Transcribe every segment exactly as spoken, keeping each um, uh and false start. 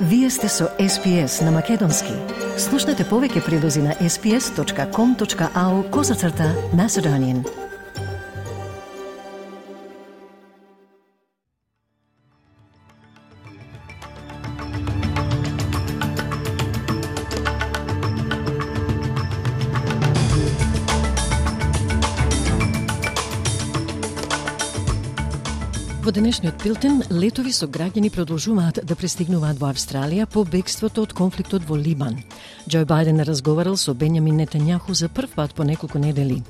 Вие сте со Ес Пи Ес на Македонски. Слушнете повеќе прилози на ес пи ес точка ком точка ау козацрта Macedonian. Во денешниот билтен, летови со граѓани продолжуваат да пристигнуваат во Австралија по бегството од конфликтот во Либан. Џо Бајден разговарал со Бенјамин Нетањаху за прв пат по неколку недели.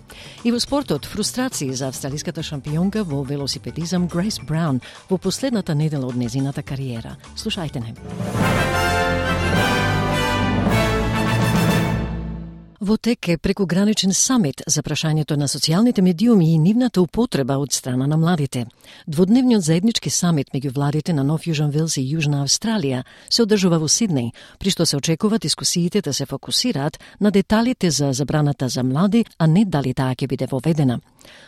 И во спортот, фрустрации за австралиската шампионка во велосипедизам Грейс Браун во последната недела од незината кариера. Слушајте не. Во тек е прекуграничен самит за прашањето на социјалните медиуми и нивната употреба од страна на младите. Дводневниот заеднички самит меѓу владите на Нов Јужен Велс и Јужна Австралија се одржува во Сиднеј, при што се очекува дискусиите да се фокусираат на деталите за забраната за млади, а не дали таа ќе биде воведена.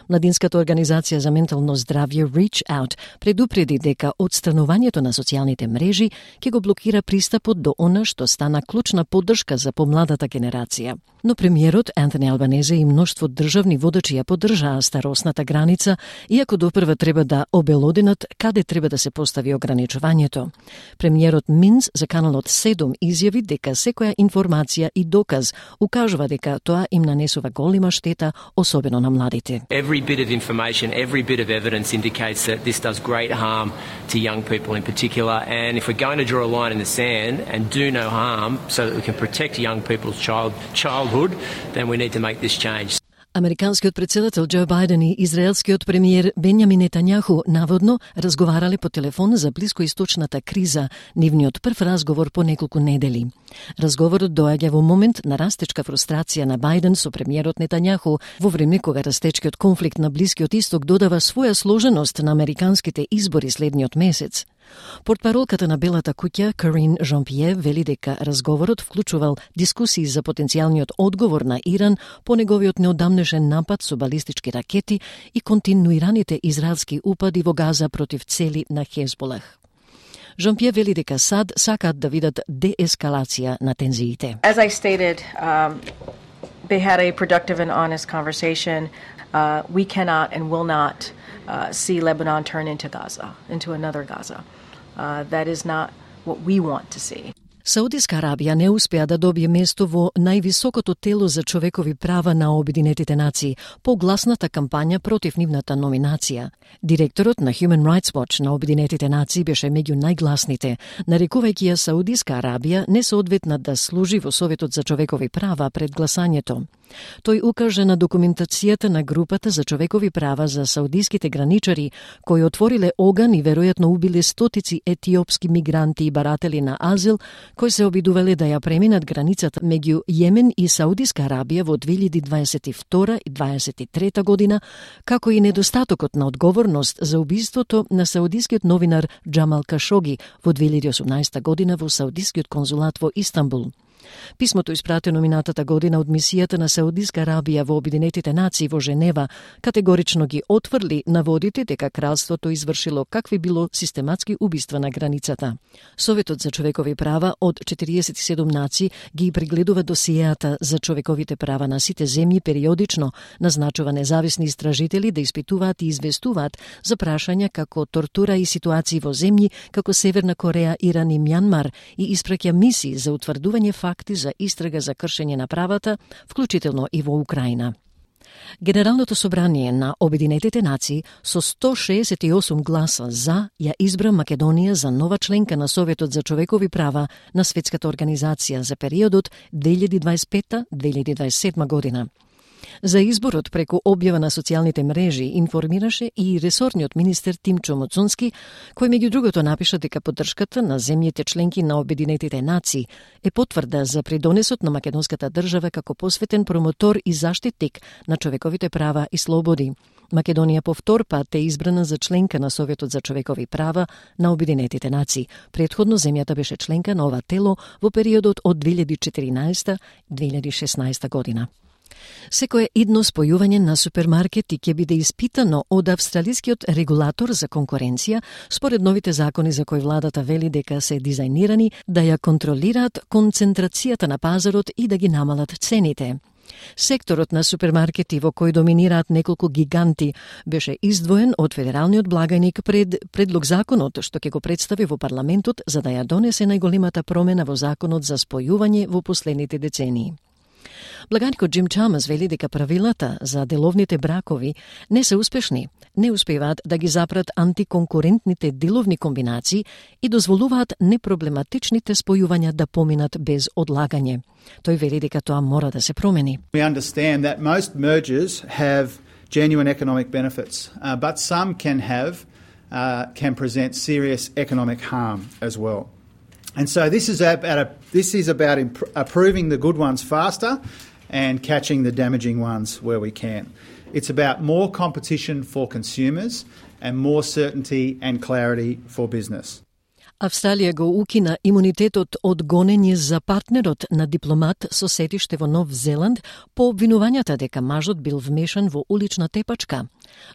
Младинската организација за ментално здравје Reach Out предупреди дека отстранувањето на социјалните мрежи ќе го блокира пристапот до она што стана клучна поддршка за помладата генерација. Но премиерот Антони Албанезе и мноштво државни водачи ја поддржаа старосната граница, иако допрва треба да обелоденат каде треба да се постави ограничувањето. Премиерот Минс за каналот седум изјави дека секоја информација и доказ укажува дека тоа им нанесува голема штета, особено на младите. Every bit of information, every bit of evidence indicates that this does great harm to young people in particular, and if we're going to draw a line in the sand and do no harm so that we can protect young people's child childhood, then we need to make this change. Американскиот претседател Џо Бајден и израелскиот премиер Бенјамин Нетањаху наводно разговарале по телефон за блискоисточната криза, нивниот прв разговор по неколку недели. Разговорот доаѓа во момент на растечка фрустрација на Бајден со премиерот Нетањаху, во време кога растечкиот конфликт на Блискиот Исток додава своја сложеност на американските избори следниот месец. Портпаролката на Белата куќа, Карин Жан-Пие, вели дека разговорот вклучувал дискусии за потенцијалниот одговор на Иран по неговиот неодамнешен напад со балистички ракети и континуираните израелски упади во Газа против цели на Хезболах. Жан-Пие вели дека САД сакаат да видат деескалација на тензиите. As I stated, um, they had a productive and honest conversation. Uh, we cannot and will not uh, see Lebanon turn into Gaza, into another Gaza. Uh, that is not what we want to see. Саудиска Арабија не успеа да добие место во највисокото тело за човекови права на Обединетите нации по гласната кампања против нивната номинација. Директорот на Human Rights Watch на Обединетите нации беше меѓу најгласните, нарекувајќи ја Саудиска Арабија несоодветна да служи во Советот за човекови права пред гласањето. Тој укажа на документацијата на групата за човекови права за саудиските граничари, кои отвориле оган и веројатно убиле стотици етиопски мигранти и баратели на азил, кои се обидувале да ја преминат границата меѓу Јемен и Саудиска Арабија во две илјади дваесет и втора и дваесет и трета година, како и недостатокот на одговорност за убиството на саудискиот новинар Џамал Кашоги во две илјади и осумнаесета година во Саудискиот конзулат во Истанбул. Писмото испратено минатата година од мисијата на Саудиска Арабија во Обединетите нации во Женева категорично ги отврли наводите дека кралството извршило какви било систематски убиства на границата. Советот за човекови права од четириесет и седум нации ги прегледува досиеата за човековите права на сите земји периодично, назначува независни истражители да испитуваат и известуваат за прашања како тортура и ситуации во земји како Северна Кореја, Иран и Мјанмар и испраќа мисии за утврдување факти за истрага за кршење на правата, вклучително и во Украина. Генералното собрание на Обединетите нации со сто шеесет и осум гласа за ја избра Македонија за нова членка на Советот за човекови права на Светската организација за периодот две илјади дваесет и пета до две илјади дваесет и седма година. За изборот преку објава на социјалните мрежи информираше и ресорниот министер Тимчо Муцунски, кој меѓу другото напиша дека поддршката на земјите членки на Обединетите нации е потврда за придонесот на македонската држава како посветен промотор и заштитник на човековите права и слободи. Македонија по втор пат е избрана за членка на Советот за човекови права на Обединетите нации. Претходно земјата беше членка на ова тело во периодот од две илјади и четиринаесета до две илјади и шеснаесета година. Секое идно спојување на супермаркети ќе биде испитано од австралискиот регулатор за конкуренција, според новите закони за кои владата вели дека се дизајнирани да ја контролираат концентрацијата на пазарот и да ги намалат цените. Секторот на супермаркети во кој доминираат неколку гиганти беше издвоен од федералниот благајник пред предлог законот што ќе го представи во парламентот за да ја донесе најголемата промена во законот за спојување во последните децении. Благајникот Джим Чамас вели дека правилата за деловните бракови не се успешни, не успеваат да ги запрат антиконкурентните деловни комбинации и дозволуваат непроблематичните спојувања да поминат без одлагање. Тој вели дека тоа мора да се промени. We understand that most mergers have genuine economic benefits, uh, but some can have uh, can present serious economic harm as well. And so this is about a, this is about imp- approving the good ones faster and catching the damaging ones where we can. It's about more competition for consumers and more certainty and clarity for business. Австралија го укина имунитетот од гонење за партнерот на дипломат со сетиште во Нов Зеланд по обвинувањата дека мажот бил вмешан во улична тепачка.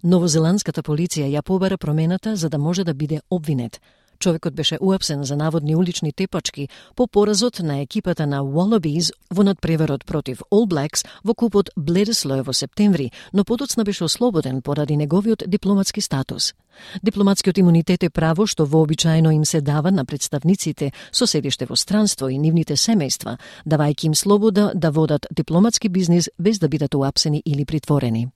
Новозеландската полиција ја побара промената за да може да биде обвинет. Човекот беше уапсен за наводни улични тепачки по поразот на екипата на Wallabies во надпреварот против All Blacks во купот Bledisloe во септември, но подоцна беше ослободен поради неговиот дипломатски статус. Дипломатскиот имунитет е право што вообичаено им се дава на представниците со седиште во странство и нивните семејства, давајќи им слобода да водат дипломатски бизнис без да бидат уапсени или притворени.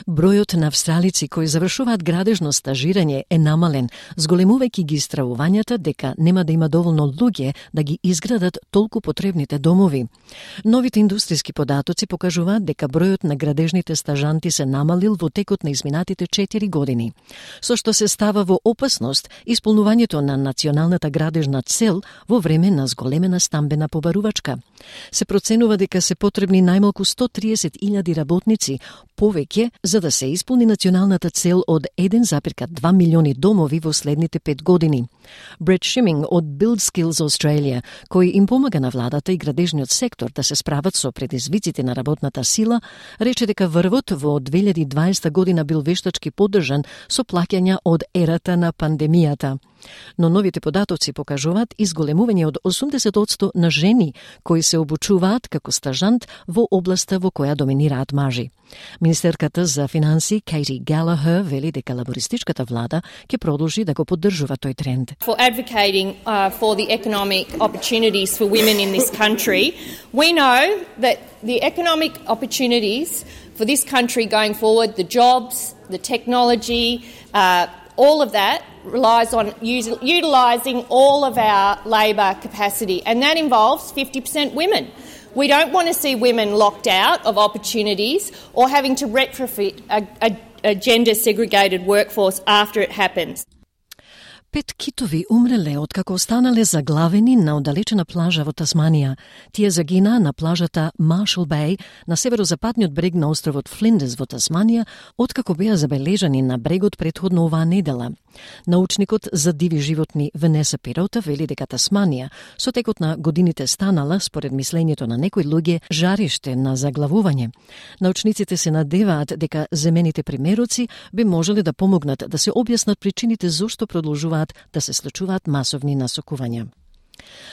Бројот на австралици кои завршуваат градежно стажирање е намален, зголемувајќи ги стравувањата дека нема да има доволно луѓе да ги изградат толку потребните домови. Новите индустријски податоци покажуваат дека бројот на градежните стажанти се намалил во текот на изминатите четири години, со што се става во опасност исполнувањето на националната градежна цел во време на зголемена стамбена побарувачка. Се проценува дека се потребни најмалку сто триесет илјади работници повеќе за да се исполни националната цел од еден зарез два милиони домови во следните пет години. Брет Шиминг од Build Skills Australia, кој им помага на владата и градежниот сектор да се справат со предизвиците на работната сила, рече дека врвот во две илјади и дваесета година бил вештачки поддржан со плаќања од ерата на пандемијата. Но новите податоци покажуваат изголемување од осумдесет одсто на жени кои се обучуваат како стажант во областа во која доминираат мажи. Министерката за финансии Кейти Галахер вели дека лабористичката влада ќе продолжи да го поддржува тој тренд. For advocating uh, for the economic opportunities for women in this country, we know that the economic opportunities for this country going forward, the jobs, the technology, uh, all of that relies on utilising all of our labour capacity, and that involves fifty percent women. We don't want to see women locked out of opportunities or having to retrofit a, a, a gender-segregated workforce after it happens. Пет китови умреле откако останале заглавени на оддалечена плажа во Тасманија. Тие загинаа на плажата Marshall Bay на северозападниот брег на островот Флиндерс во Тасманија, откако беа забележани на брегот претходно оваа недела. Научникот за диви животни Венеса Пирота вели дека Тасманија со текот на годините станала, според мислењето на некои луѓе, жариште на заглавување. Научниците се надеваат дека земените примероци би можеле да помогнат да се објаснат причините зошто продолжуваат да се случуваат масовни насокувања.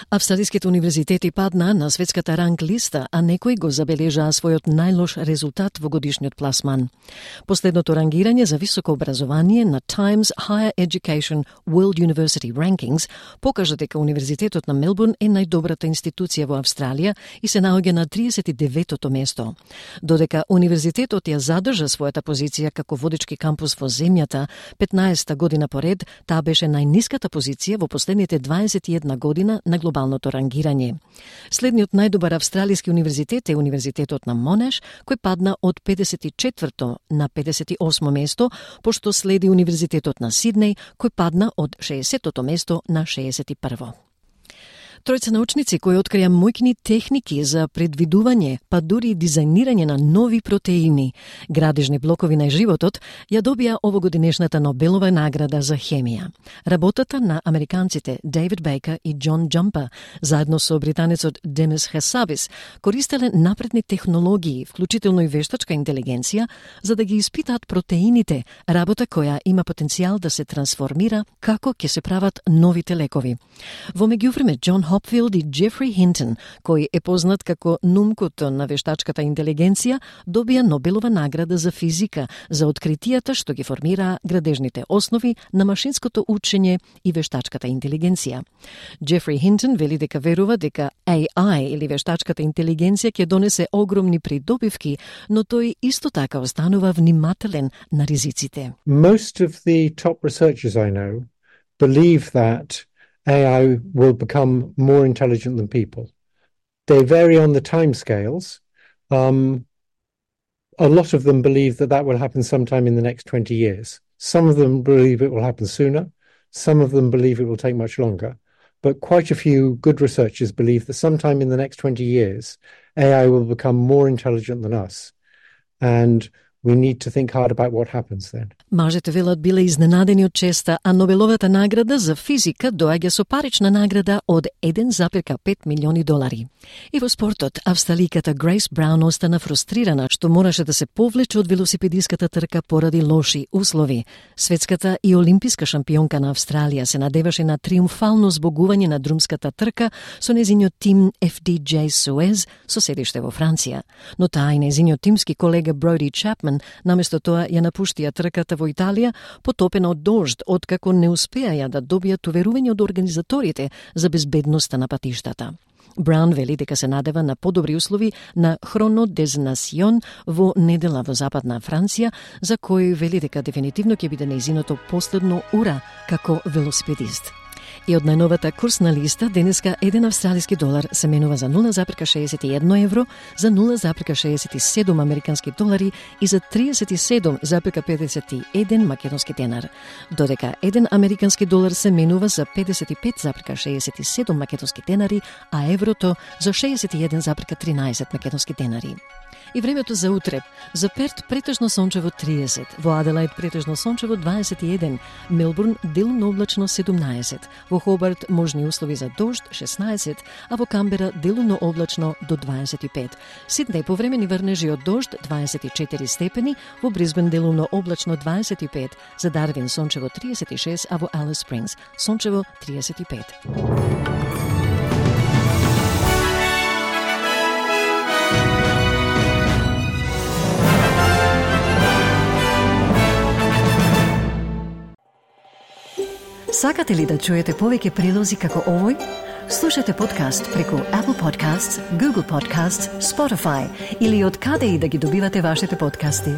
Австралиските универзитети паднаа на светската ранг листа, а некои го забележаа својот најлош резултат во годишниот пласман. Последното рангирање за високо образование на Times Higher Education World University Rankings покажа дека Универзитетот на Мелбурн е најдобрата институција во Австралија и се наоѓа на тридесет и деветото место. Додека Универзитетот ја задржа својата позиција како водечки кампус во земјата петнаесета година поред, таа беше најниската позиција во последните дваесет и една година на глобалното рангирање. Следниот најдобар австралиски универзитет е Универзитетот на Монаш, кој падна од педесет и четврто на педесет и осмо место, пошто следи Универзитетот на Сиднеј, кој падна од шеесеттото место на шеесет и прво. Тројца научници кои открија моќни техники за предвидување, па дури дизајнирање на нови протеини, градежни блокови на животот, ја добија овогодинешната Нобелова награда за хемија. Работата на американците Дейвид Бейкер и Џон Џампа, заедно со британецот Демес Хасабис, користеле напредни технологии, вклучително и вештачка интелигенција, за да ги испитаат протеините, работа која има потенцијал да се трансформира како ќе се прават новите лекови. Во меѓувреме, Џон Хопфилд и Џефри Хинтон, кој е познат како нумкото на вештачката интелигенција, добија Нобелова награда за физика за откритијата што ги формира градежните основи на машинското учење и вештачката интелигенција. Џефри Хинтон вели дека верува дека A I или вештачката интелигенција ќе донесе огромни придобивки, но тој исто така останува внимателен на ризиците. Most of the top researchers I know believe that A I will become more intelligent than people. They vary on the timescales. Um, a lot of them believe that that will happen sometime in the next twenty years. Some of them believe it will happen sooner. Some of them believe it will take much longer. But quite a few good researchers believe that sometime in the next twenty years, A I will become more intelligent than us. And we need to think hard about what happens then. Мажете велат биле изненадени од честа, а Нобеловата награда за физика доаѓа со парична награда од еден запир пет милиони долари. И во спортот, австраликата Грейс Браун остана фрустрирана што мораше да се повлече од велосипедиската трка поради лоши услови. Светската и олимписка шампионка на Австралија се надеваше на триумфално збогување на друмската трка со незиниот тим Еф Ди Џеј Суез со седиште во Франција. Но таа и незиниот тимски колега Броди Чапман наместо тоа ја напуштија трката во Италија, потопена од дожд, откако не успеаја да добијат уверување од организаторите за безбедноста на патиштата. Браун вели дека се надева на подобри услови на Хроно дез Насион во недела во Западна Франција, за кој вели дека дефинитивно ќе биде нејзиното последно ура како велосипедист. И од најновата курсна листа, денеска еден австралиски долар се менува за нула запирка шеесет и едно евро, за нула запирка шеесет и седум американски долари и за триесет и седум запирка педесет и еден македонски денар. Додека еден американски долар се менува за педесет и пет запирка шеесет и седум македонски денари, а еврото за шеесет и еден запирка тринаесет македонски денари. И времето за утре. За Перт претежно сончево триесет, во Аделаид претежно сончево дваесет и еден, Мелбурн делумно облачно седумнаесет, во Хобарт можни услови за дожд шеснаесет, а во Камбера делумно облачно до дваесет и пет. Сиднеј повремени врнежи од дожд дваесет и четири степени, во Брисбен делумно облачно дваесет и пет, за Дарвин сончево триесет и шест, а во Алис Спрингс сончево триесет и пет. Сакате ли да чуете повеќе прилози како овој? Слушате подкаст преку Apple Podcasts, Google Podcasts, Spotify или од каде и да ги добивате вашите подкасти.